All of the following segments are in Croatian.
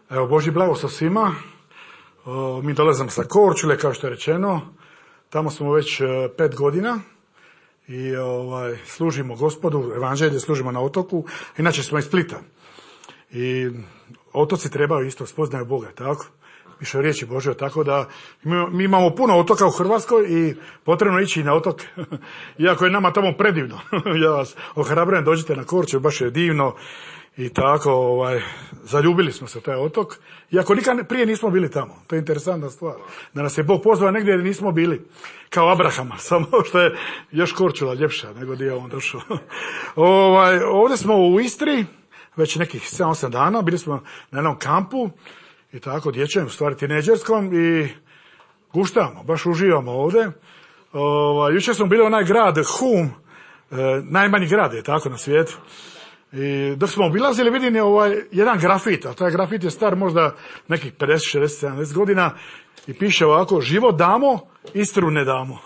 Evo, Božji blagoslov svima. Mi dolazimo sa Korčule, kao što je rečeno. Tamo smo već 5 godina i služimo Gospodu, evanđelje služimo na otoku. Inače smo iz Splita. I otoci trebaju isto spoznaju Boga, tako? Više riječi Božje, tako da mi imamo puno otoka u Hrvatskoj i potrebno ići na otok. Iako je nama tamo predivno. Ja vas ohrabrujem, dođite na Korčulu, baš je divno. I tako, zaljubili smo se u taj otok. Iako nikad prije nismo bili tamo. To je interesantna stvar. Da nas je Bog pozvao negdje gdje nismo bili. Kao Abrahama, samo što je još Korčula ljepša nego gdje je on došao. Ovdje smo u Istri, već nekih 7-8 dana. Bili smo na jednom kampu i tako dječjem, u stvari tineđerskom, i guštamo, baš uživamo ovdje. Jučer smo bili onaj grad Hum, najmanji grad je tako na svijetu. I dok smo obilazili, vidim je jedan grafit, a taj grafit je star možda nekih 50, 60, 70 godina i piše ovako: život damo, Istru ne damo.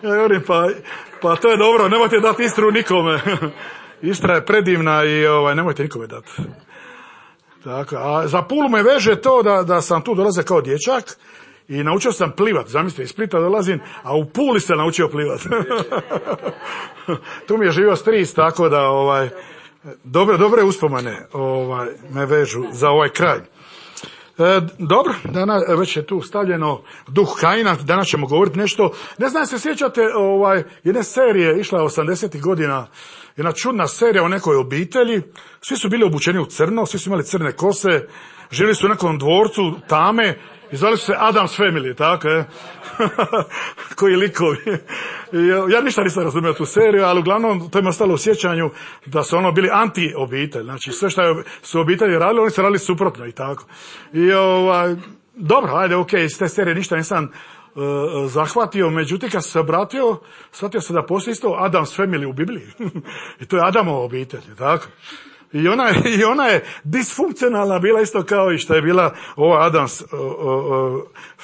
Ja govorim, pa to je dobro, nemojte dati Istru nikome. Istra je predivna i nemojte nikome dati. Tako, a za Pulu me veže to da sam tu dolazio kao dječak i naučio sam plivat. Zamislite, iz Splita dolazim, a u Puli sam naučio plivat. Tu mi je živio stric, tako da dobre uspomene me vežu za ovaj kraj. Dobro, danas već je tu stavljeno duh Kaina, danas ćemo govoriti nešto. Ne znam se sjećate jedne serije, išla 80-ih godina, jedna čudna serija o nekoj obitelji. Svi su bili obučeni u crno, svi su imali crne kose, živjeli su u nekom dvorcu tame i zvali su se Addams Family, tako je. Koji likovi. Ja ništa nisam razumio tu seriju, ali uglavnom to je mi ostalo u sjećanju da su bili anti-obitelj. Znači sve što su obitelji radili, oni su radili suprotno i tako. I dobro, ajde, okej, iz te serije ništa nisam zahvatio, međutim kad sam se obratio, shvatio sam da postoji isto Addams Family u Bibliji. I to je Adamova obitelj, tako. I ona je disfunkcionalna bila isto kao i što je bila ova Addams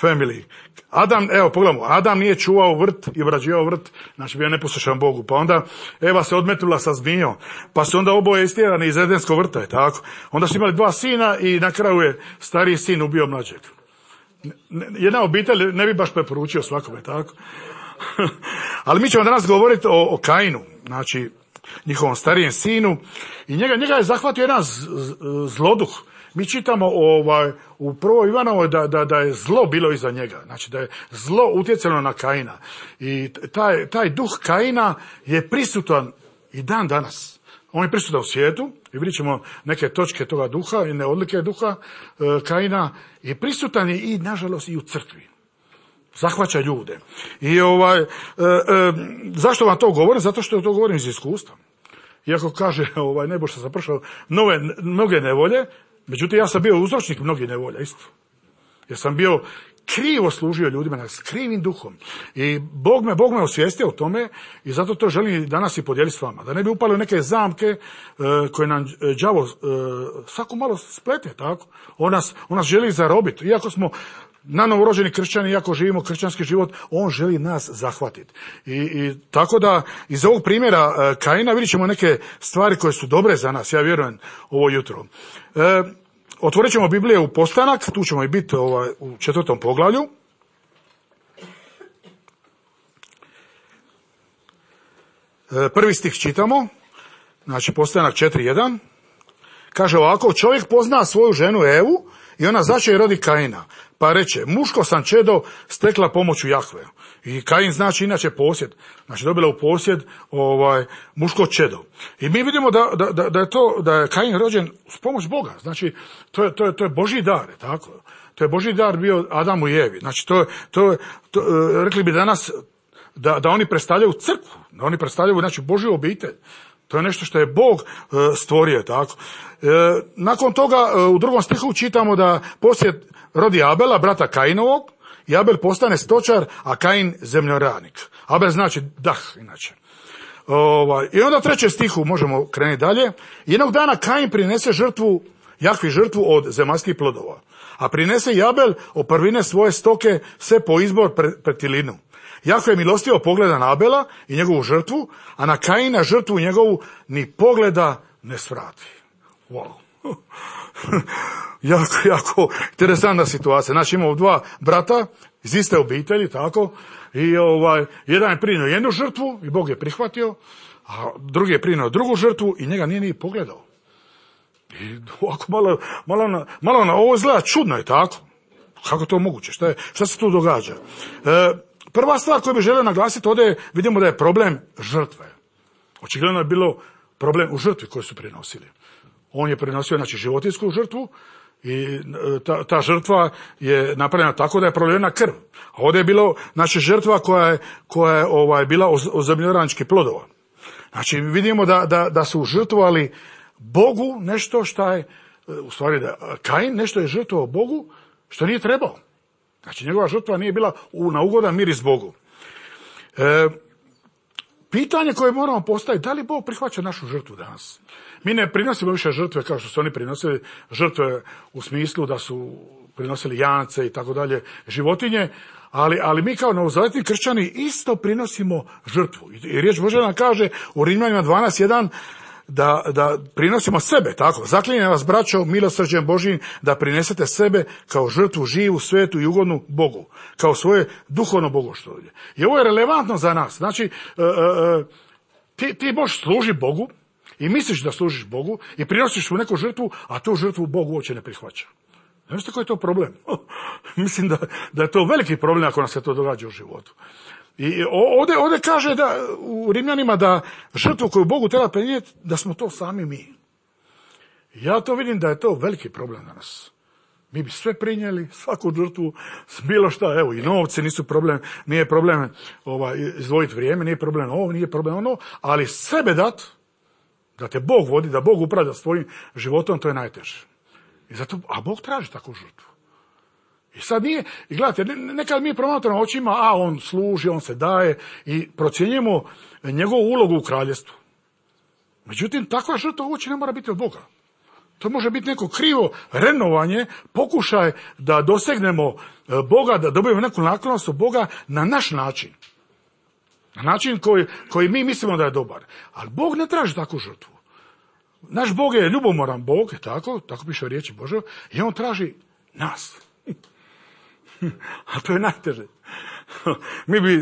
Family. Adam, evo pogledamo, Adam nije čuvao vrt i obrađivao vrt, znači bio neposlušan Bogu. Pa onda Eva se odmetnula sa zmijom, pa su onda oboje istjerani iz Edenskog vrta, je tako. Onda su imali 2 sina i na kraju je stariji sin ubio mlađeg. Jedna obitelj ne bi baš preporučio svakome, tako. Ali mi ćemo danas govoriti o Kainu, znači njihovom starijem sinu, i njega je zahvatio jedan zloduh. Mi čitamo u prvoj Ivanovoj da je zlo bilo iza njega, znači da je zlo utjecalo na Kaina. I taj duh Kaina je prisutan i dan danas. On je prisutan u svijetu i vidjet ćemo neke točke toga duha i odlike duha Kaina, i prisutan je i nažalost i u crkvi. Zahvaća ljude. I zašto vam to govorim? Zato što to govorim iz iskustva. Iako kaže nebo što sam prošao mnoge nevolje, međutim ja sam bio uzročnik mnogih nevolja isto. Jer sam bio krivo služio ljudima, s krivim duhom. I Bog me osvijestio o tome i zato to želim danas i podijeliti s vama. Da ne bi upali u neke zamke koje nam đavo svako malo splete, tako? On nas želi zarobiti. Iako smo nanovorođeni kršćani, iako živimo kršćanski život, on želi nas zahvatiti. I tako da iz ovog primjera Kaina vidjet ćemo neke stvari koje su dobre za nas, ja vjerujem, ovo jutro. Otvorit ćemo Biblije u Postanak, tu ćemo i biti u 4. poglavlju. Prvi stih čitamo, znači Postanak 4.1. Kaže ovako: čovjek pozna svoju ženu Evu i ona začeje i rodi Kaina. Pa reče: muško sam čedo stekla pomoću Jahve. I Kain znači inače posjed. Znači dobila u posjed muško čedo. I mi vidimo da je Kain rođen s pomoć Boga. Znači to je Božji dar, tako. To je Božji dar bio Adamu i Evi. Znači to rekli bi danas da oni predstavljaju crkvu, da oni predstavljaju znači Božju obitelj. To je nešto što je Bog stvorio, tako. Nakon toga u 2. stihu čitamo da poslije rodi Abela, brata Kainovog, i Abel postane stočar, a Kain zemljoradnik. Abel znači dah, inače. I onda 3. stihu možemo krenuti dalje. Jednog dana Kain prinese Jahvi žrtvu od zemaljskih plodova, a prinese i Abel od prvine svoje stoke sve po izbor pred Tilinu. Jahve milostivo pogleda na Abela i njegovu žrtvu, a na Kaina žrtvu njegovu ni pogleda ne svrati. Wow. jako interesantna situacija. Znači imamo dva brata iz iste obitelji, tako, i jedan je prinio jednu žrtvu i Bog je prihvatio, a drugi je prinio drugu žrtvu i njega nije ni pogledao. I ovako malo na ovo izgleda čudno, je tako? Kako je to moguće? Šta se tu događa? Prva stvar koju bih želio naglasiti, ovdje vidimo da je problem žrtve. Očigledno je bilo problem u žrtvi koju su prinosili. On je prinosio, znači, životinjsku žrtvu i ta žrtva je napravljena tako da je prolivena krv. A ovdje je bilo, znači, žrtva koja je bila od zemljoradničkih plodova. Znači, vidimo da su žrtvovali Bogu nešto što je, u stvari da Kain nešto je žrtvovao Bogu što nije trebao. Znači, njegova žrtva nije bila na ugodan miris Bogu. Pitanje koje moramo postaviti, da li Bog prihvaća našu žrtvu danas? Mi ne prinosimo više žrtve kao što su oni prinosili, žrtve u smislu da su prinosili jance i tako dalje, životinje, ali mi kao novozavetni kršćani isto prinosimo žrtvu. I riječ Božja nam kaže u Rimljanima 12:1 da prinosimo sebe, tako. Zaklinjem vas, braćo, milosrđem Božjim, da prinesete sebe kao žrtvu živu, svetu i ugodnu Bogu, kao svoje duhovno bogoštolje. I ovo je relevantno za nas. Znači, ti možeš služiti Bogu i misliš da služiš Bogu i prinosiš mu neku žrtvu, a tu žrtvu Bog uopće ne prihvaća. Znaš koji je to problem? Mislim da je to veliki problem ako nam se to događa u životu. I ovdje kaže u Rimljanima da žrtvu koju Bogu treba prenijeti, da smo to sami mi. Ja to vidim da je to veliki problem danas. Mi bi sve prinijeli, svaku žrtvu, bilo šta, evo i novci nisu problem, nije problem izdvojiti vrijeme, nije problem ovo, nije problem ono, ali sebe da te Bog vodi, da Bog upravlja s tvojim životom, to je najteže. I zato, a Bog traži takvu žrtvu. I sad nije, i gledajte, nekad mi promatramo očima, on služi, on se daje i procjenjujemo njegovu ulogu u kraljestvu. Međutim, takva žrtva uopće ne mora biti od Boga. To može biti neko krivo renovanje, pokušaj da dosegnemo Boga, da dobijemo neku naklonost od Boga na naš način. Na način koji mi mislimo da je dobar. Ali Bog ne traži takvu žrtvu. Naš Bog je ljubomoran Bog, tako piše u riječi Božoj, i on traži nas. A to je najteže.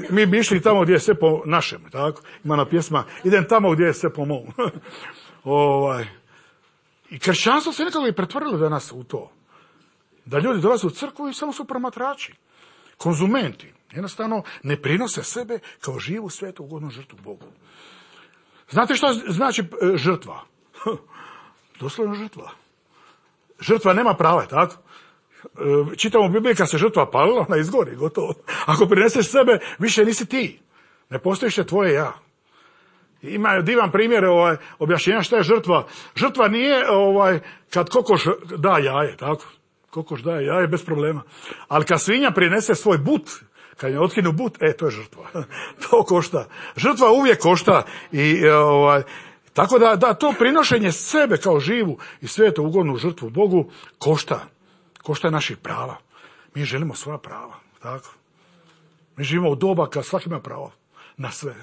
Mi bi išli tamo gdje je sve po našem, tako? Ima na pjesma, idem tamo gdje je sve po mom. I kršćanstvo se nekako i pretvorilo danas u to. Da ljudi dolaze u crkvu i samo su promatrači, konzumenti. Jednostavno ne prinose sebe kao živu, svetu, ugodnu žrtvu Bogu. Znate što znači žrtva? Doslovno žrtva. Žrtva nema prava, tako? Čitamo u Bibliji kad se žrtva palila, ona izgori, gotovo. Ako prineseš sebe, više nisi ti. Ne postoji više tvoje ja. Ima divan primjer objašnjenja šta je žrtva. Žrtva nije kad kokoš da jaje, tako? Kokoš daje jaje bez problema. Ali kad svinja prinese svoj but, kad je otkinu but, to je žrtva. To košta. Žrtva uvijek košta i tako da to prinošenje sebe kao živu i svetu ugodnu žrtvu Bogu košta. Košta naših prava. Mi želimo svoja prava, tako? Mi živimo u doba kad svaki ima pravo na sve.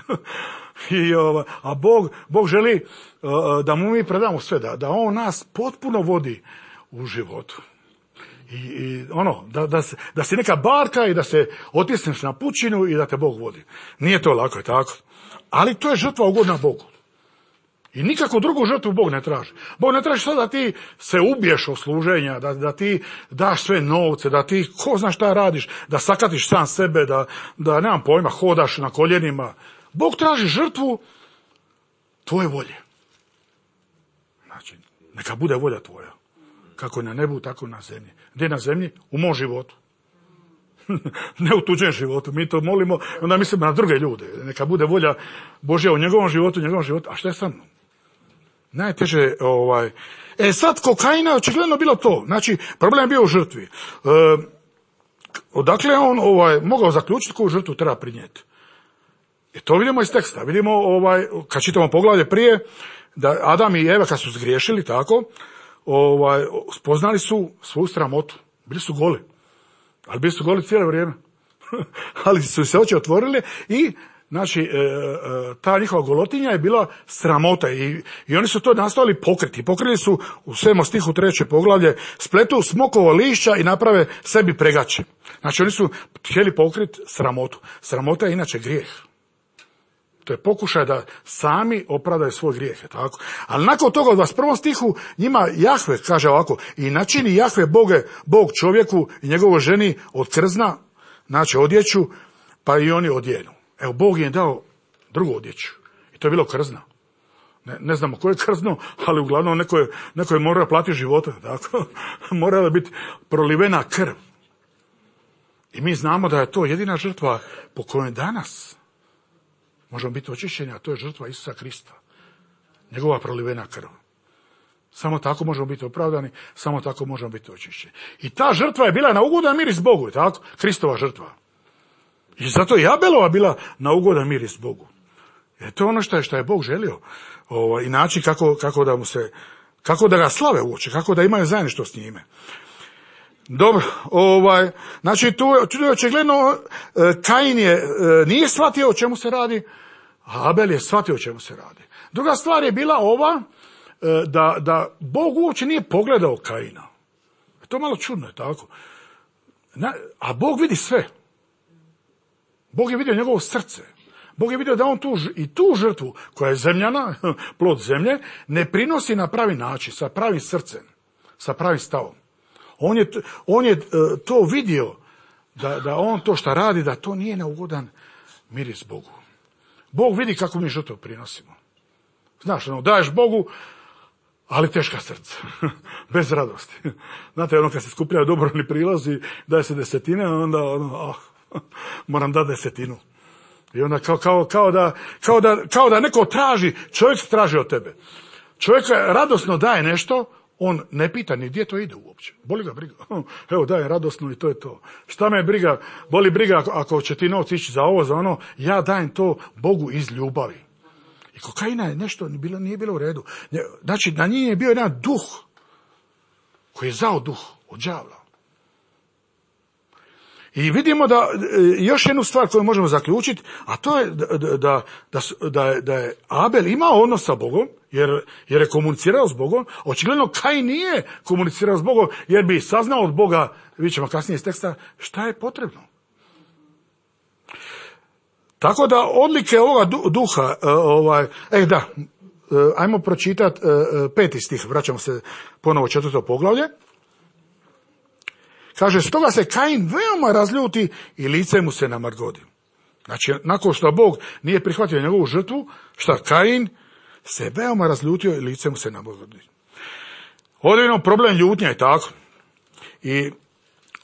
A Bog želi da mu mi predamo sve, da on nas potpuno vodi u životu. I da si neka barka i da se otisneš na pučinu i da te Bog vodi. Nije to lako, je tako? Ali to je žrtva ugodna Bogu. I nikako drugu žrtvu Bog ne traži. Bog ne traži sad da ti se ubiješ od služenja, da ti daš sve novce, da ti ko zna šta radiš, da sakatiš sam sebe, da nemam pojma, hodaš na koljenima. Bog traži žrtvu tvoje volje. Znači, neka bude volja tvoja. Kako je na nebu, tako na zemlji. Gdje na zemlji? U mom životu. Ne u tuđem životu. Mi to molimo, onda mislimo na druge ljude. Neka bude volja Božja u njegovom životu. A šta je sa mnom? Najteže, sad kod Kaina očigledno bilo to. Znači, problem je bio u žrtvi. Odakle on mogao zaključiti koju žrtvu treba prinijeti? I to vidimo iz teksta. Vidimo, kad čitamo poglavlje prije, da Adam i Eva kad su zgriješili, tako, spoznali su svoju sramotu. Bili su goli. Ali bili su goli cijelo vrijeme. Ali su se oči otvorile i Znači, ta njihova golotinja je bila sramota i oni su to nastojali pokriti. Pokrili su u 7. stihu 3. poglavlje, spletu smokovo lišća i naprave sebi pregače. Znači, oni su htjeli pokriti sramotu. Sramota je inače grijeh. To je pokušaj da sami opravdaju svoj grijeh. Tako? Ali nakon toga u 21. stihu njima Jahve kaže ovako, i načini Jahve Bog čovjeku i njegovoj ženi od krzna, znači odjeću, pa i oni odjenu. Evo, Bog im je dao drugu odjeću. I to je bilo krzno. Ne znamo koje je krzno, ali uglavnom neko je morao platiti života. Tako? Morala je biti prolivena krv. I mi znamo da je to jedina žrtva po kojoj danas možemo biti očišćeni, a to je žrtva Isusa Krista. Njegova prolivena krv. Samo tako možemo biti opravdani, samo tako možemo biti očišćeni. I ta žrtva je bila na ugodan miris Bogu, tako? Kristova žrtva. I zato je Abelova bila na ugodan miris Bogu. Jer to je ono što je Bog želio. I način kako da ga slave uoče, kako da imaju zajedništvo s njime. Dobro, znači tu je očigledno Kain nije shvatio o čemu se radi, a Abel je shvatio o čemu se radi. Druga stvar je bila ova, da Bog uopće nije pogledao Kaina. To je malo čudno, je tako? A Bog vidi sve. Bog je vidio njegovo srce. Bog je vidio da on tu žrtvu, koja je zemljana, plod zemlje, ne prinosi na pravi način, sa pravim srcem, sa pravim stavom. On je to vidio, da on to što radi, da to nije na ugodan miris Bogu. Bog vidi kako mi žrtvu prinosimo. Znaš, daješ Bogu, ali teška srca, bez radosti. Znate, kad se skupljaju dobrovoljni prilazi, daje se desetine, onda moram dati desetinu. I onda kao da neko traži, čovjek traži od tebe. Čovjek radosno daje nešto, on ne pita ni gdje to ide uopće. Boli ga briga. Evo, daje radosno i to je to. Šta me briga? Boli briga ako će ti novci ići za ovo, za ono. Ja dajem to Bogu iz ljubavi. I kod Kaina je nešto nije bilo u redu. Znači, na njih je bio jedan duh koji je zao duh od đavla. I vidimo da još jednu stvar koju možemo zaključiti, a to je da je Abel imao odnos sa Bogom, jer je komunicirao s Bogom. Očigledno Kain nije komunicirao s Bogom, jer bi saznao od Boga, vidjet ćemo kasnije iz teksta, šta je potrebno. Tako da odlike ovoga duha, ajmo pročitati 5. stih, vraćamo se ponovo 4. poglavlje. Kaže, stoga se Kain veoma razljuti i lice mu se namargodi. Znači, nakon što Bog nije prihvatio njegovu žrtvu, šta Kain se veoma razljutio i lice mu se namargodi. Ovdje imamo problem ljutnja i tako. I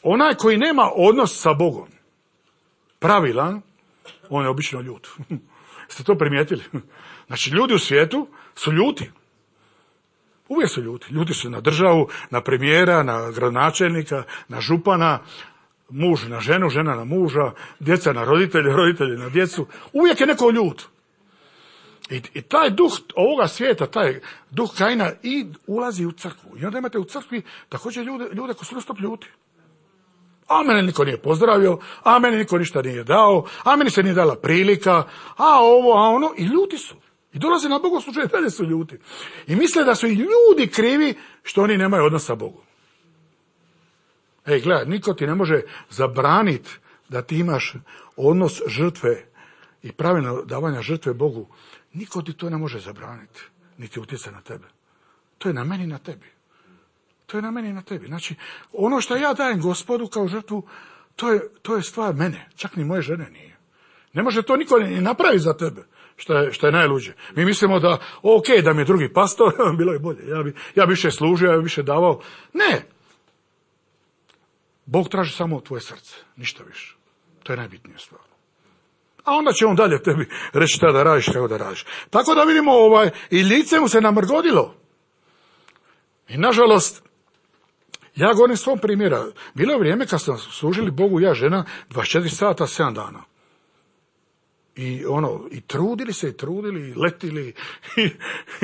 onaj koji nema odnos sa Bogom, pravilan, on je obično ljut. Jeste to primijetili? Znači, ljudi u svijetu su ljuti. Uvijek su ljuti. Ljuti su na državu, na premijera, na gradonačelnika, na župana, muž na ženu, žena na muža, djeca na roditelje, roditelji na djecu. Uvijek je neko ljut. I taj duh ovoga svijeta, taj duh Kaina ulazi u crkvu. I onda imate u crkvi također ljude koji su non-stop ljuti. A mene niko nije pozdravio, a meni niko ništa nije dao, a meni se nije dala prilika, a ovo, a ono, i ljuti su. I dolaze na bogosluženje, dalje su ljuti. I misle da su i ljudi krivi što oni nemaju odnos sa Bogom. Gledaj, niko ti ne može zabraniti da ti imaš odnos žrtve i pravilno davanja žrtve Bogu. Niko ti to ne može zabraniti, niti utjecati na tebe. To je na meni i na tebi. To je na meni i na tebi. Znači, ono što ja dajem Gospodu kao žrtvu, to je stvar mene. Čak ni moje žene nije. Ne može to niko ni napraviti za tebe. Što je najluđe. Mi mislimo da, da mi je drugi pastor, bilo je bolje. Ja bi više služio, ja bi više davao. Ne. Bog traži samo tvoje srce. Ništa više. To je najbitnija stvar. A onda će on dalje tebi reći šta da radiš, kako da radiš. Tako da vidimo, i lice mu se namrgodilo. I nažalost, ja govorim svom primjera. Bilo je vrijeme kad smo služili Bogu, ja žena, 24 sata, 7 dana. I trudili se, i trudili, i letili, i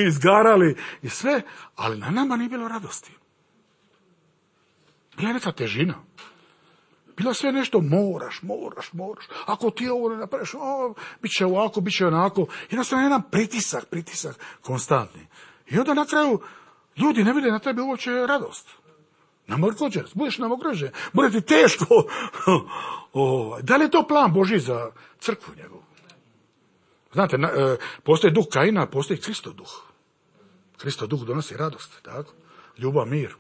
izgarali, i sve, ali na nama nije bilo radosti. Bila je neka težina. Bilo sve nešto moraš. Ako ti ovo ne napraviš, bit će ovako, bit će onako. Jednostavno jedan pritisak konstantni. I onda na kraju ljudi ne vide na tebi uopće radost. Namrgođen, budeš namrgođen, bude ti teško. Da li je to plan Božji za crkvu njegovu? Znate, postoji duh Kaina, postoji Kristov duh. Kristov duh donosi radost, tako? Ljubav, mir.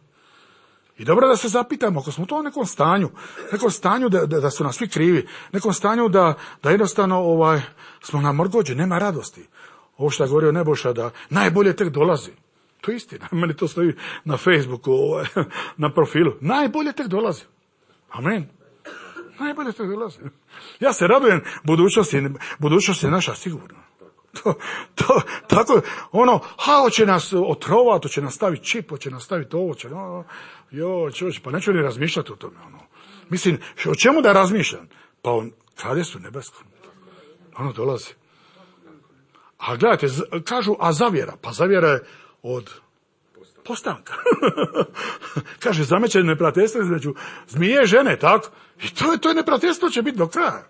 I dobro da se zapitamo, ako smo to u nekom stanju da su nas svi krivi, nekom stanju da jednostavno smo namrgođeni, nema radosti. Ovo što je govorio Nebojša, da najbolje tek dolazi. To je istina, meni to stoji na Facebooku, na profilu. Najbolje tek dolazi. Amen. Najbolje tek dolazi. Ja se radujem budućnost je naša sigurno. Tako, hoće nas otrovati, hoće nas staviti čip, hoće nas staviti ovo, pa neću ni razmišljati o tome, Mislim, o čemu da razmišljam? Pa o kraljevstvu nebeskom. Ono dolazi. A gledajte, kažu, a zavjera? Pa zavjera je od postanka. Kaže, zamećeno neprijateljstvo između zmije i žene, tako? I to neprijateljstvo će biti do kraja.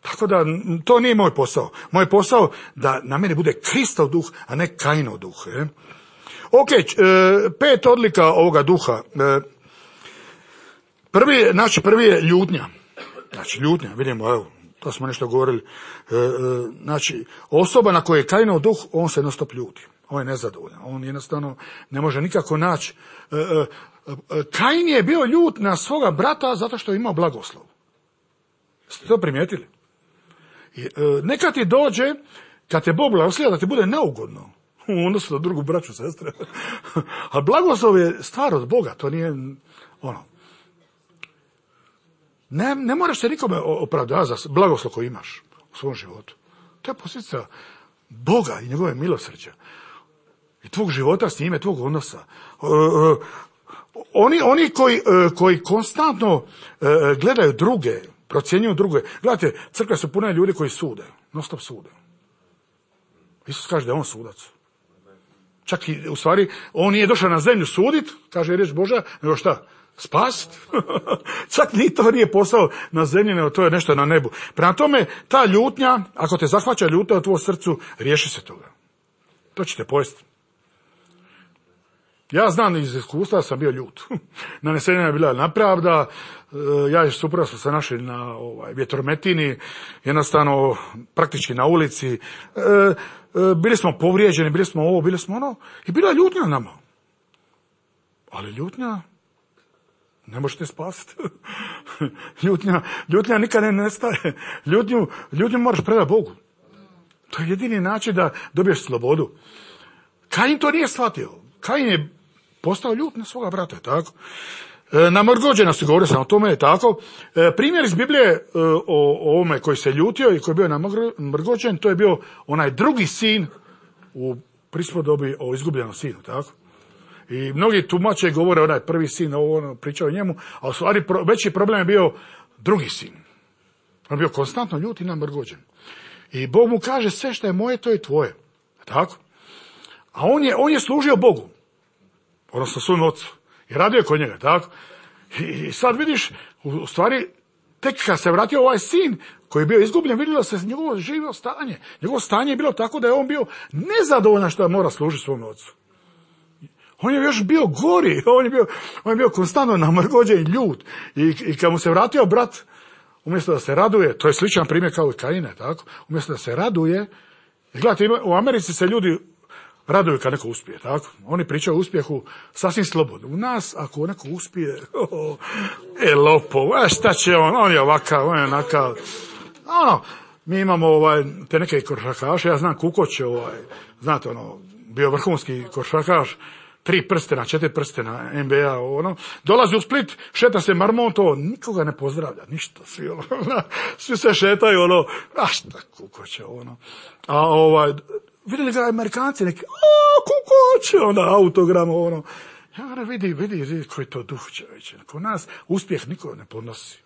Tako da, to nije moj posao. Moj posao da na mene bude Kristov duh, a ne Kainov duh. Ok, 5 odlika ovoga duha. Prvi je ljutnja. Znači, ljutnja, vidimo, evo, to smo nešto govorili. Znači, osoba na kojoj je Kainov duh, on se jednostavno ljuti. On je nezadovoljan. On jednostavno ne može nikako naći. Kain je bio ljut na svoga brata zato što je imao blagoslov. Ste to primijetili? Neka ti dođe, kad te Bog blagoslova, da ti bude neugodno. U odnosu na drugu braću, sestre. A blagoslov je stvar od Boga, to nije Ne moraš se nikome opravdati za blagoslov koji imaš u svom životu. To je posljedica Boga i njegove milosrđa. I tvog života s njime, tvog odnosa. Oni koji konstantno gledaju druge, procjenjuju druge. Gledajte, crkve su pune ljudi koji sude. Non stop sude. Isus kaže da je on sudac. Čak i, u stvari, on nije došao na zemlju sudit, kaže riječ Božja, nego šta? Spasit. Čak ni to nije posao na zemlji, nego to je nešto na nebu. Prema tome, ta ljutnja, ako te zahvaća ljutnja u tvojom srcu, riješi se toga. To će te pojesti. Ja znam iz iskustva, sam bio ljut. Nanesenja je bila nepravda, ja i supruga smo se našli na vjetrometini, jednostavno praktički na ulici. Bili smo povrijeđeni, bili smo ovo, bili smo ono, i bila je ljutnja nama. Ali ljutnja ne možete spasiti. Ljutnja nikad ne nestaje. Ljutnju moraš predati Bogu. To je jedini način da dobiješ slobodu. Kain to nije shvatio. Kain je postao ljut na svoga brata, tako? Namrgođenosti, govorio sam o tome, tako. Primjer iz Biblije o ovome koji se ljutio i koji je bio namrgođen, to je bio onaj drugi sin u prispodobi o izgubljenom sinu, tako? I mnogi tumače govore onaj prvi sin, pričao o njemu, a u stvari veći problem je bio drugi sin. On je bio konstantno ljut i namrgođen. I Bog mu kaže, sve što je moje, to je tvoje. Tako? A on je služio Bogu. Odnosno svom ocu. I radio je kod njega, tako? I sad vidiš, u stvari, tek kad se vratio ovaj sin, koji je bio izgubljen, vidjelo se njegovo živo stanje. Njegovo stanje je bilo tako da je on bio nezadovoljan što mora služiti svom ocu. On je još bio gori, on je bio konstantno namrgođen i ljut. I kad mu se vratio brat, umjesto da se raduje, to je sličan primjer kao i Kaine, tako? Umjesto da se raduje, i gledajte, u Americi se ljudi raduju kad neko uspije, tako? Oni pričaju o uspjehu sasvim slobodno. U nas, ako neko uspije, lopov, šta će on je ovakav, on je onakav. Mi imamo te neke košarkaše, ja znam Kukoć, znate, bio vrhunski košarkaš, 3 prstena, 4 prstena, NBA, dolazi u Split, šeta se marmonto, nikoga ne pozdravlja, ništa, svi se šetaju, šta Kukoće, A vidjeli ga Amerikanci neki, Kukoće, autogram, Ja vidi koji to duh čovječe. Kod nas uspjeh niko ne podnosi.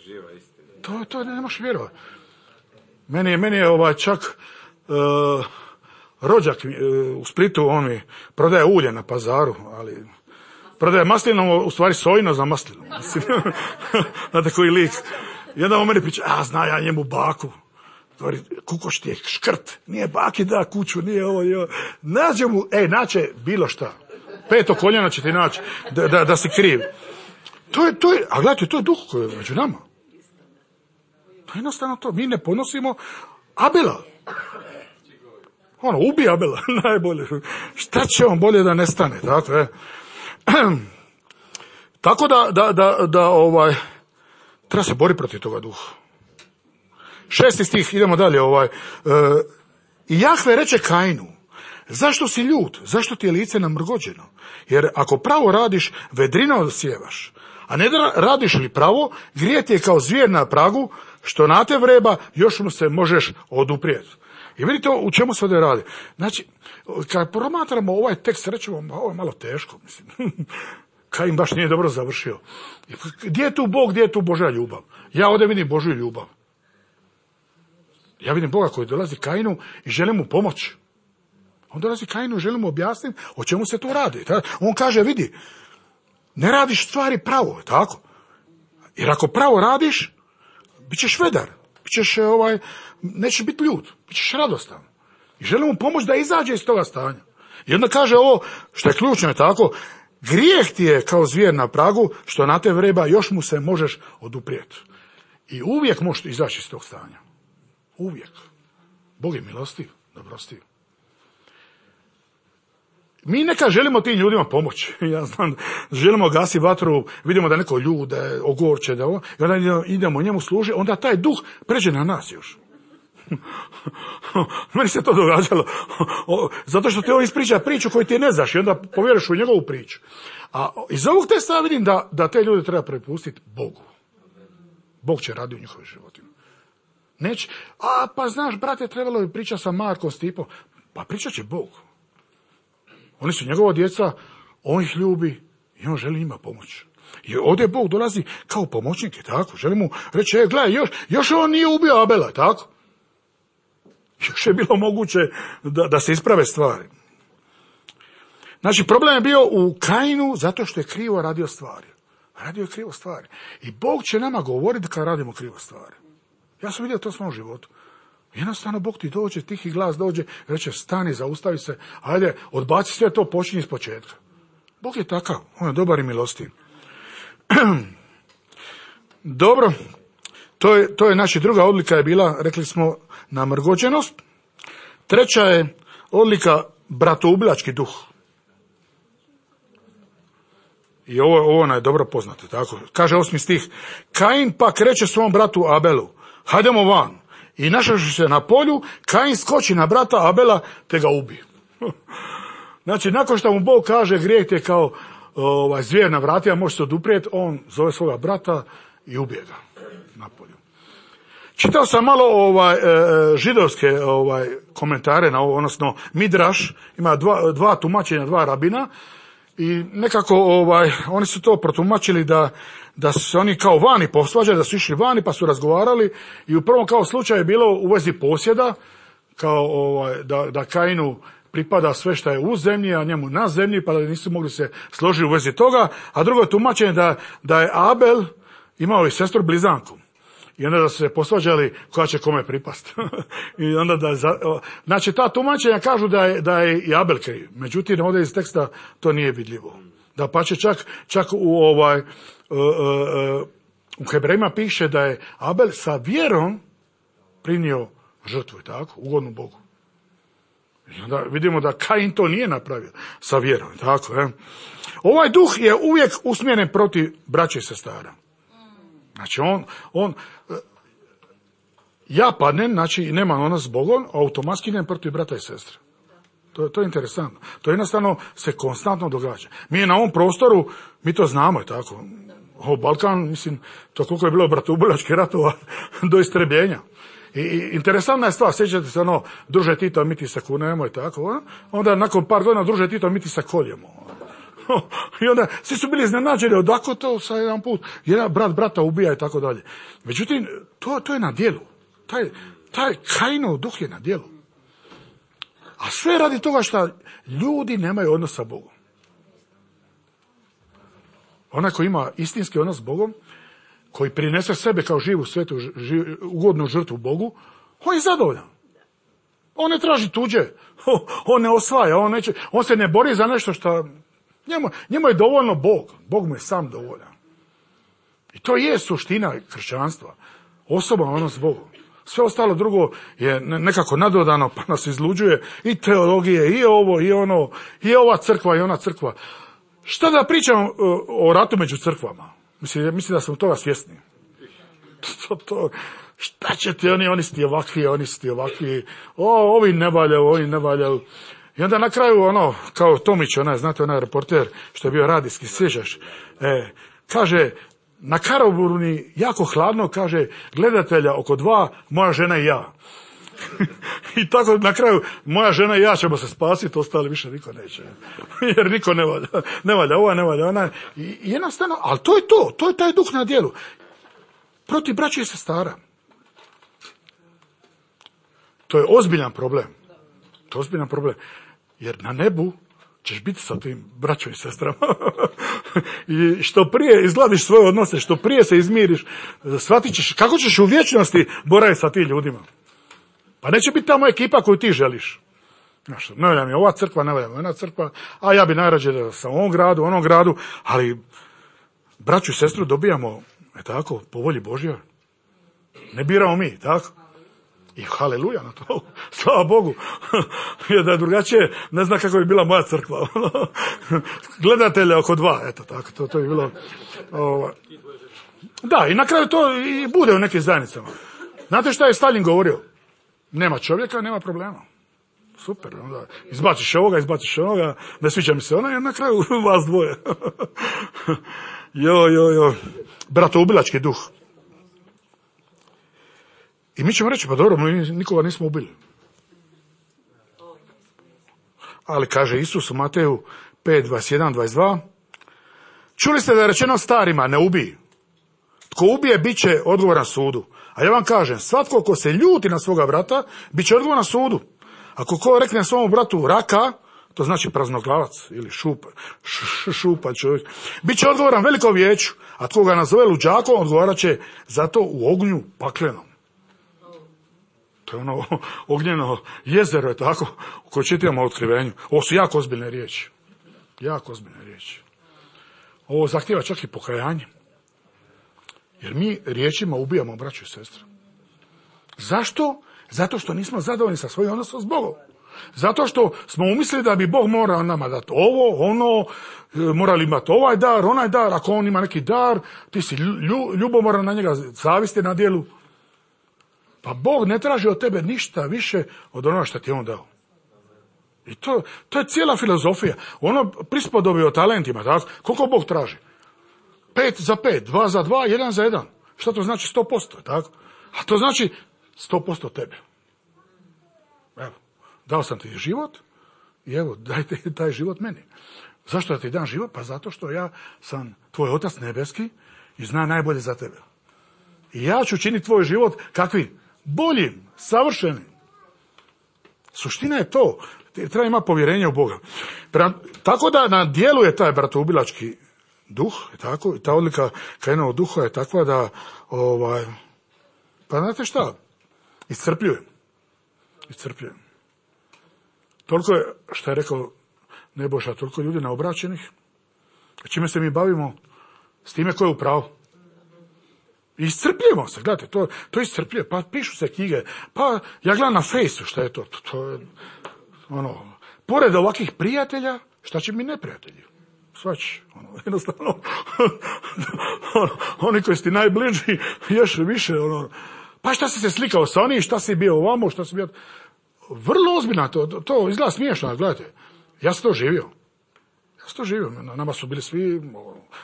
Živa istina. To ne možeš vjerovati. Meni je čak rođak u Splitu, on mi prodaje ulje na pazaru, ali prodaje maslinovo, u stvari sojino za maslinu. Znate koji lik. I onda on meni priča, zna ja njemu baku. Govori, kukoš ti je škrt, nije baki da kuću, nije ovo. Nađe mu, naće bilo šta. 5. koljena će ti naći da si kriv. To je, a gledajte, to je duh koji je među nama. To je jednostavno to. Mi ne ponosimo Abela. Ubi Abela, najbolje. Šta će on bolje da nestane, tako Tako da treba se boriti protiv toga duha. 6. stih, idemo dalje. I Jahve reče Kainu, zašto si ljut, zašto ti je lice namrgođeno? Jer ako pravo radiš, vedrino sjevaš. A ne da radiš li pravo, grijet je kao zvijer na pragu, što na te vreba, još mu se možeš oduprijeti. I vidite u čemu se ovdje radi. Znači, kad promatramo ovaj tekst, rećemo, ovo je malo teško, mislim. Kain baš nije dobro završio. Gdje je tu Bog, gdje je tu Božja ljubav? Ja ovdje vidim Božju ljubav. Ja vidim Boga koji dolazi Kainu i želi mu pomoći. On dolazi Kainu i želi mu objasniti o čemu se tu radi. On kaže, vidi, ne radiš stvari pravo, tako? Jer ako pravo radiš, bit ćeš vedar, nećeš biti ljut, bit ćeš radostan. I želi mu pomoći da izađe iz toga stanja. I onda kaže ovo, što je ključno je tako, grijeh ti je kao zvijer na pragu, što na te vreba, još mu se možeš oduprijeti. I uvijek možeš izaći iz tog stanja. Uvijek. Bog je milostiv, dobrostiv. Mi neka želimo tim ljudima pomoći. Ja znam, želimo gasi vatru, vidimo da neko ljude ogorče, i onda idemo njemu služi, onda taj duh pređe na nas još. Meni se to događalo. Zato što ti on ispriča priču koju ti ne znaš i onda povjeriš u njegovu priču. A iz ovog teksta vidim da te ljude treba prepustiti Bogu. Bog će raditi u njihovim životima. Neće, pa znaš, brate, trebalo bi pričati sa Markom, Stipom. Pa pričat će Bog. Oni su njegova djeca, on ih ljubi i on želi njima pomoći. I ovdje Bog dolazi kao pomoćnik, tako? Želi mu reći, gledaj, još on nije ubio Abela, tako? Još je bilo moguće da se isprave stvari. Znači, problem je bio u Kainu zato što je krivo radio stvari. Radio je krivo stvari. I Bog će nama govoriti kad radimo krivo stvari. Ja sam vidio to u svom životu. Jednostavno Bog ti dođe, tihi glas dođe, reče stani, zaustavi se, ajde, odbaci sve to, počinji iz početka. Bog je takav, on je dobar i milostiv. Dobro, to je znači druga odlika je bila, rekli smo, namrgođenost. Treća je odlika bratoubilački duh. I ovo nam je dobro poznato, tako. Kaže 8. stih, Kain pak reče svom bratu Abelu, hajdemo van. I našavši se na polju, Kain skoči na brata Abela, te ga ubi. Znači, nakon što mu Bog kaže, grijeh ti je kao zvijer na vratima, može se oduprijeti, on zove svoga brata i ubije ga na polju. Čitao sam malo židovske komentare na ovo, odnosno Midraš, ima dva tumačenja, dva rabina, i nekako oni su to protumačili da su se oni kao vani posvađali, da su išli vani pa su razgovarali i u prvom kao slučaju je bilo u vezi posjeda, kao da Kainu pripada sve što je u zemlji, a njemu na zemlji, pa da nisu mogli se složiti u vezi toga, a drugo tumačenje da je Abel imao i sestru blizanku. I onda da su se posvađali koja će kome pripast. I onda znači ta tumačenja kažu da je i Abel kriv. Međutim, ovdje iz teksta to nije vidljivo. Da pa će čak u Hebrejima piše da je Abel sa vjerom prinio žrtvu, tako, ugodnu Bogu. I onda vidimo da Kain to nije napravio sa vjerom, tako. Ovaj duh je uvijek usmjeren protiv braće i sestara. Znači ja padnem, znači nemam odnos s Bogom, automatski idem protiv brata i sestre. To je interesantno. To jednostavno se konstantno događa. Mi na ovom prostoru, mi to znamo, je tako. Balkan, mislim, to koliko je bilo bratoubilačkih ratova do istrebljenja. I interesantna je stvar, sjećate se druže Tito, mi ti se kunemo i tako. Onda nakon par godina druže Tito, mi ti se koljemo. I onda svi su bili iznenađeni, odako to sa jedan put, jedan brat brata ubija i tako dalje. Međutim, to je na djelu. Taj Kainov duh je na djelu. A sve radi toga što ljudi nemaju odnos sa Bogom. Onaj koji ima istinski odnos s Bogom, koji prinese sebe kao živu, svetu, ugodnu žrtvu Bogu, on je zadovoljan. On ne traži tuđe, on ne osvaja, on se ne bori za nešto što... Njemu je dovoljno Bog, Bog mu je sam dovoljan. I to je suština kršćanstva, osoban odnos s Bogom. Sve ostalo drugo je nekako nadodano, pa nas izluđuje i teologije, i ovo, i ono, i ova crkva, i ona crkva. Šta da pričam o ratu među crkvama? Mislim da smo toga svjesni. Šta će ti oni su ti ovakvi, oni su ti ovakvi, ovi ne valjaju. I onda na kraju kao Tomić, znate onaj reporter što je bio radijski, sjećaš, kaže, na Karaburni jako hladno, kaže, gledatelja oko 2, moja žena i ja. I tako na kraju, moja žena i ja ćemo se spasiti, ostali više niko neće. Jer niko ne valja, ova ne valja, ona. I jednostavno, ali to je taj duh na djelu. Protiv braće i sestara. To je ozbiljan problem. To je ozbiljan problem. Jer na nebu ćeš biti sa tim braćom i sestrama. I što prije izgladiš svoje odnose, što prije se izmiriš, shvatit ćeš kako ćeš u vječnosti boraviti sa tim ljudima. Pa neće biti tamo ekipa koju ti želiš. Znaš, ne valja mi ova crkva, ne valja mi ona crkva, a ja bi najrađe da sam u onom gradu, ali braću i sestru dobijamo, tako, po volji Božja. Ne biramo mi, tako? I haleluja na to, slava Bogu. Jer da je drugačije, ne zna kako bi bila moja crkva. Gledatelja oko 2, eto tako, to je bilo... Da, i na kraju to i bude u nekim zajednicama. Znate šta je Stalin govorio? Nema čovjeka, nema problema. Super, onda izbaciš ovoga, ne sviđa mi se ona, i na kraju vas dvoje. Jo. Bratoubilački duh. I mi ćemo reći, pa dobro, mi nikoga nismo ubili. Ali kaže Isus u Mateju 5, 21, 22, čuli ste da je rečeno starima, ne ubij. Tko ubije, bit će odgovoran sudu. A ja vam kažem, svatko ko se ljuti na svoga brata, bit će odgovoran sudu. Ako ko rekne svom bratu raka, to znači praznoglavac ili šupa čovjek, bit će odgovoran velikom vijeću, a tko ga nazove luđakom, odgovarat će za to u ognju paklenom. To je ognjeno jezero, je tako, u koje čitamo o otkrivenju. Ovo su jako ozbiljne riječi. Ovo zahtjeva čak i pokajanje. Jer mi riječima ubijamo braću i sestre. Zašto? Zato što nismo zadovoljni sa svojim odnosom s Bogom. Zato što smo umislili da bi Bog morao nama dati ovo, morali imati ovaj dar, onaj dar, ako on ima neki dar, ti si ljubomoran na njega, zavisti na djelu. Pa Bog ne traži od tebe ništa više od onoga što ti je on dao. I to je cijela filozofija. Prispodobi o talentima, tako? Koliko Bog traži? 5 za 5, 2 za 2, 1 za 1. Šta to znači? 100%, tako? A to znači 100% tebe. Evo, dao sam ti život i evo, dajte taj život meni. Zašto da ti dam život? Pa zato što ja sam tvoj Otac nebeski i zna najbolje za tebe. I ja ću činiti tvoj život kakvi? Boljim, savršenim. Suština je to. Treba imati povjerenje u Boga. Tako da na dijelu je taj bratoubilački duh, tako, i ta odlika Kainovog duha je takva da, pa znate šta, iscrpljujem. Toliko je, što je rekao Nebojša, toliko ljudi neobraćenih, čime se mi bavimo, s time ko je u pravu. Iscrpljujemo se, gledajte, to iscrpljuje, pa pišu se knjige, pa ja gledam na Fejsu, šta je to je, pored ovakvih prijatelja, šta će mi neprijatelji? Svač, jednostavno, oni koji su ti najbliži, još više, pa šta si se slikao sa onim, šta si bio ovamo, šta si bio... Vrlo ozbiljno, to izgleda smiješno, gledajte, ja sam to živio, nama su bili svi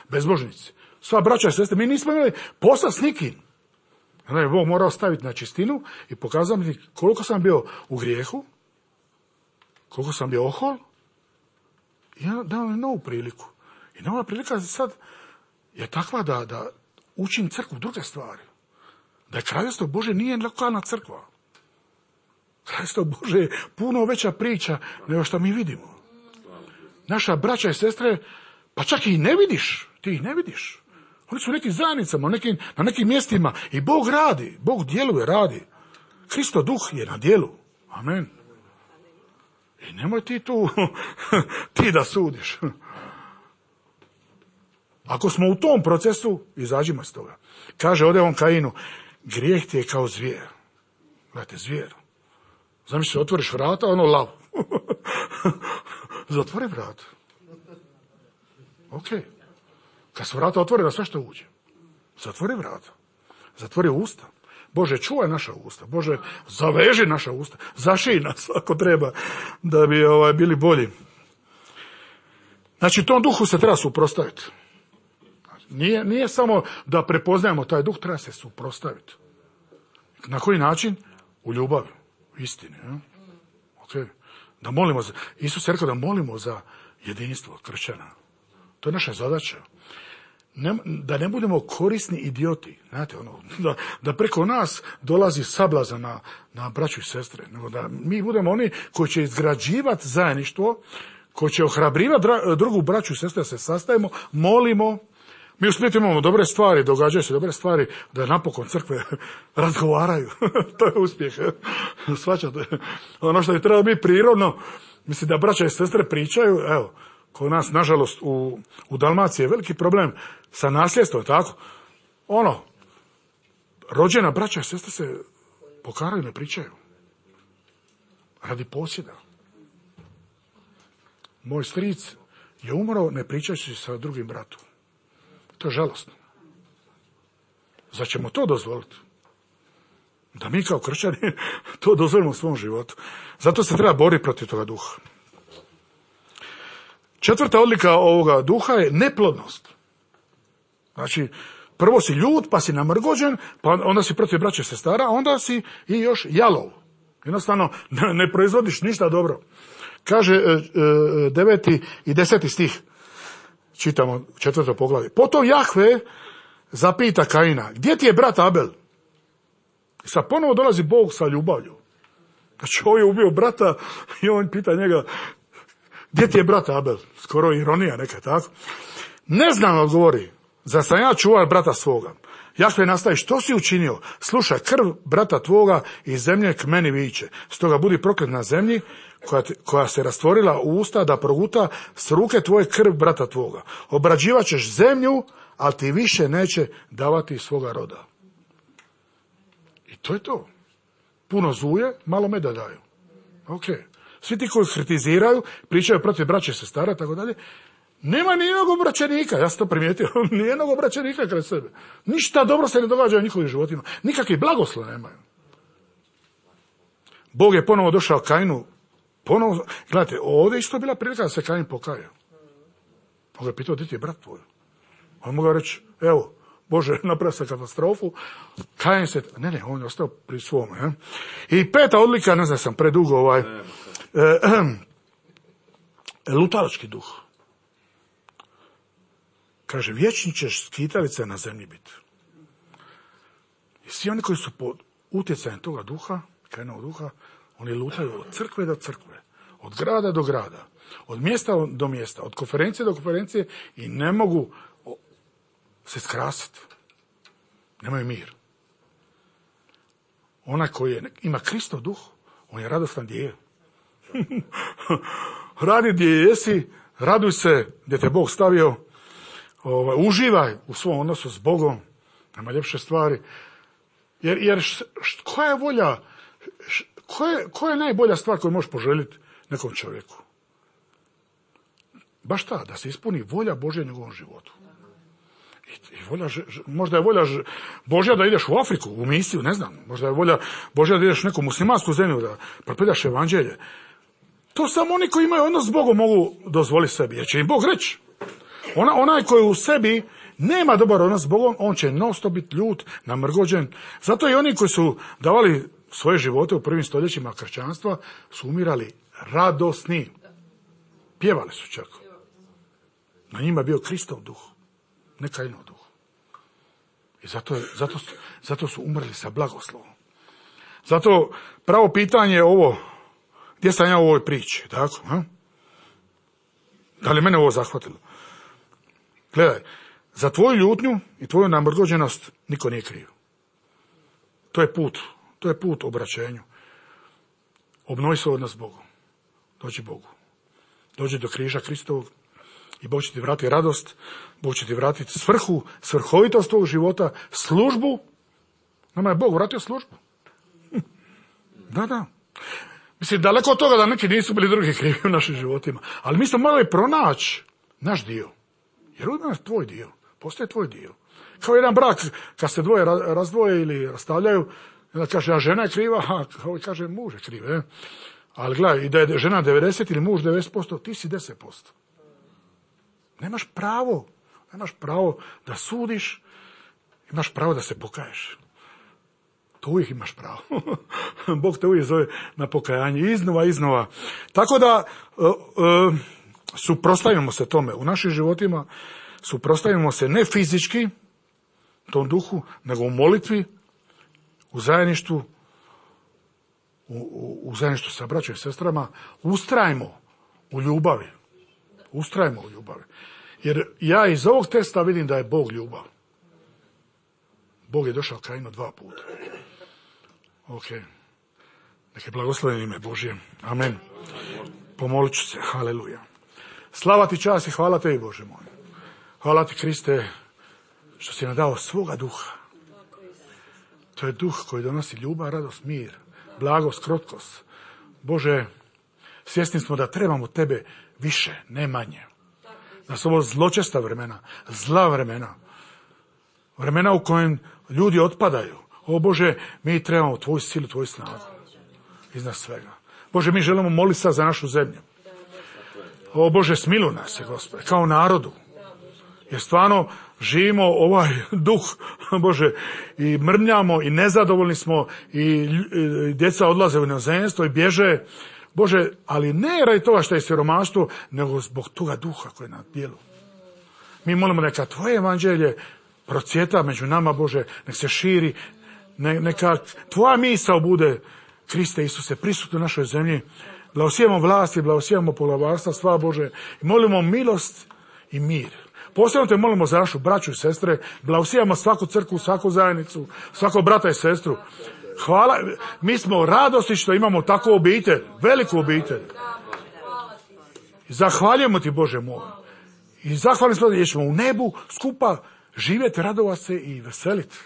bezbožnici, sva braća i sestre, mi nismo imali posla s nikim. Onda je Bog morao staviti na čistinu i pokazati mi koliko sam bio u grijehu, koliko sam bio ohol, i dao mi novu priliku. I nova prilika sad je takva da učim crkvu druge stvari. Da je Kraljevstvo Božje nije lokalna crkva. Kraljevstvo Božje je puno veća priča nego što mi vidimo. Naša braća i sestre, pa čak i ne vidiš, Ti ih ne vidiš. Oni su u nekim zajednicama, na nekim mjestima i Bog radi, Bog djeluje, radi. Kristo duh je na djelu. Amen. I nemoj ti tu, ti da sudiš. Ako smo u tom procesu, izađimo iz toga. Kaže ovdje on Kainu, grijeh ti je kao zvijer. Gledajte, zvijer. Zamisli, otvoriš vrata, ono lav. Zatvori vrata. Ok. Kad se vrata otvore, da sve što uđe. Zatvori vrata. Zatvori usta. Bože, čuvaj naša usta. Bože, zaveži naša usta. Zašij nas ako treba da bi bili bolji. Znači, tom duhu se treba suprotstaviti. Nije samo da prepoznajemo taj duh, treba se suprotstaviti. Na koji način? U ljubavi, u istini. Okay. Da molimo Isus je rekao da molimo za jedinstvo kršćana. To je naša zadaća. Da ne budemo korisni idioti. Znate, da preko nas dolazi sablazan na braću i sestre. Nego da mi budemo oni koji će izgrađivati zajedništvo, koji će ohrabrivati drugu braću i sestre da se sastajemo, molimo. Mi u Splitu imamo dobre stvari, događaju se dobre stvari, da napokon crkve razgovaraju. To je uspjeh. Shvaćate? Ono što je trebalo biti prirodno, mislim da braća i sestre pričaju, evo, kod nas, nažalost, u Dalmaciji je veliki problem sa nasljedstvom, tako? Rođena braća i sestre se pokaraju, ne pričaju. Radi posjeda. Moj stric je umro ne pričajući sa drugim bratom. To je žalostno. Zar ćemo to dozvoliti? Da mi kao kršćani to dozvolimo u svom životu. Zato se treba boriti protiv toga duha. 4. odlika ovoga duha je neplodnost. Znači, prvo si ljut, pa si namrgođen, pa onda si protiv braće i sestara, a onda si i još jalov. Jednostavno, ne proizvodiš ništa dobro. Kaže 9. i 10. stih. Čitamo 4. poglavlje. Potom Jahve zapita Kaina, gdje ti je brat Abel? I sad ponovo dolazi Bog sa ljubavlju. Znači, on je ubio brata i on pita njega, gdje ti je brat Abel? Skoro ironija neka, tako? Ne znam, odgovori, zar sam ja čuvar brata svoga? Jahve nastavi, što si učinio? Slušaj, krv brata tvoga iz zemlje k meni viče. Stoga budi proklet na zemlji koja se rastvorila u usta da proguta s ruke tvoje krv brata tvoga. Obrađivat ćeš zemlju, ali ti više neće davati svoga roda. I to je to. Puno zuje, malo meda daju. Ok. Svi ti koji kritiziraju, pričaju protiv braće i sestara, tako dalje, nema nijednog obraćenika, ja sam to primijetio, nijednog obraćenika kraj sebe. Ništa dobro se ne događa u njihovim životima. Nikakvi blagoslov nemaju. Bog je ponovo došao Kainu. Gledajte, ovdje isto bila prilika da se Kain pokaja. On ga je pitao, gdje ti je brat tvoj? On mogao reći, evo, Bože, napravio se katastrofu. Kain se, ne, on je ostao pri svome. I 5. odlika, ne znam, sam predugo, lutalački duh. Kaže, vječni ćeš skitalica na zemlji biti. I svi oni koji su pod utjecajem toga duha, Kainovog duha, oni lutaju od crkve do crkve, od grada do grada, od mjesta do mjesta, od konferencije do konferencije i ne mogu se skrasiti. Nemaju mir. Onaj koji ima Kristov duh, on je radostan gdje je. Radi gdje jesi, raduj se gdje te Bog stavio, uživaj u svom odnosu s Bogom, nema ljepše stvari. Jer koja je volja, koja je najbolja stvar koju možeš poželjeti nekom čovjeku? Baš ta, da se ispuni volja Božja u njegovom životu. Možda je volja Božja da ideš u Afriku, u misiju, ne znam. Možda je volja Božja da ideš u neku muslimansku zemlju, da propovjedaš evanđelje. To samo oni koji imaju odnos s Bogom mogu dozvoliti sebi, jer će im Bog reći. Onaj koji u sebi nema dobar odnos s Bogom, on će non-stop biti ljut, namrgođen. Zato i oni koji su davali svoje živote u prvim stoljećima kršćanstva su umirali radosni. Pjevali su čak. Na njima je bio Kristov duh, ne Kainov duh. I zato su umrli sa blagoslovom. Zato pravo pitanje je ovo, gdje sam ja u ovoj priči, tako? Da li mene ovo zahvatilo? Gledaj, Za tvoju ljutnju i tvoju namrgođenost niko nije kriv. To je put obraćenju. Obnovi svoj odnos s Bogom. Dođi Bogu. Dođi do križa Kristovog i Bog će ti vratiti radost, Bog će ti vratiti svrhu, svrhovitost tvog života, službu. Nama je Bog vratio službu. Da. Mislim, daleko od toga da neki nisu bili drugi krivi u našim životima. Ali mi smo morali pronaći naš dio. Jer uvijek je tvoj dio. Postoje tvoj dio. Kao jedan brak, kad se dvoje razdvoje ili rastavljaju, onda kaže, a žena je kriva, a ovaj kaže, muž je kriv. Ali gledaj, i da je žena 90 ili muž 90%, ti si 10%. Nemaš pravo da sudiš, imaš pravo da se pokaješ. To uvijek imaš pravo. Bog te uvijek zove na pokajanje, iznova. Tako da suprotstavimo se tome u našim životima, suprotstavimo se ne fizički tom duhu, nego u molitvi, u zajedništvu, u zajedništvu sa braćom i sestrama, ustrajmo u ljubavi. Jer ja iz ovog teksta vidim da je Bog ljubav. Bog je došao Kainu 2 puta. Ok. Neke blagosloveno ime Božje. Amen. Pomolit ću se. Haleluja. Slava ti, čast i hvala tebi, Bože moj. Hvala ti, Kriste, što si nam dao svoga duha. To je duh koji donosi ljubav, radost, mir, blagost, krotkost. Bože, svjesni smo da trebamo tebe više, ne manje. Da su ovo zločesta vremena, zla vremena. Vremena u kojem ljudi otpadaju. O Bože, mi trebamo tvoju silu, tvoju snagu. Iznad svega. Bože, mi želimo moliti sad za našu zemlju. O Bože, smiluj nas se, Gospode, kao narodu. Jer stvarno živimo ovaj duh, Bože, i mrmljamo i nezadovoljni smo i djeca odlaze u inozemstvo i bježe. Bože, ali ne radi toga što je siromaštvo, nego zbog toga duha koji je na djelu. Mi molimo neka tvoje evanđelje procvjeta među nama, Bože, nek se širi, neka tvoja misao bude, Kriste Isuse, prisutno u našoj zemlji. Blagosijemo vlasti, blagosijemo poglavarstva, sva Bože, i molimo milost i mir. Posebno te molimo za našu braću i sestre, blagosijemo svaku crkvu, svaku zajednicu, svakog brata i sestru. Hvala, mi smo radosti što imamo takvu obitelj, veliku obitelj. I zahvaljujemo ti, Bože moj. I zahvaljujemo smo da ćemo u nebu skupa živjeti, radovati se i veseliti.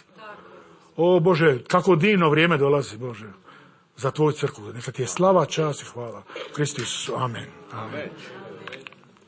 O Bože, kako divno vrijeme dolazi, Bože, za tvoju crkvu. Neka ti je slava, čast i hvala. Kristu Isusu. Amen. Amen.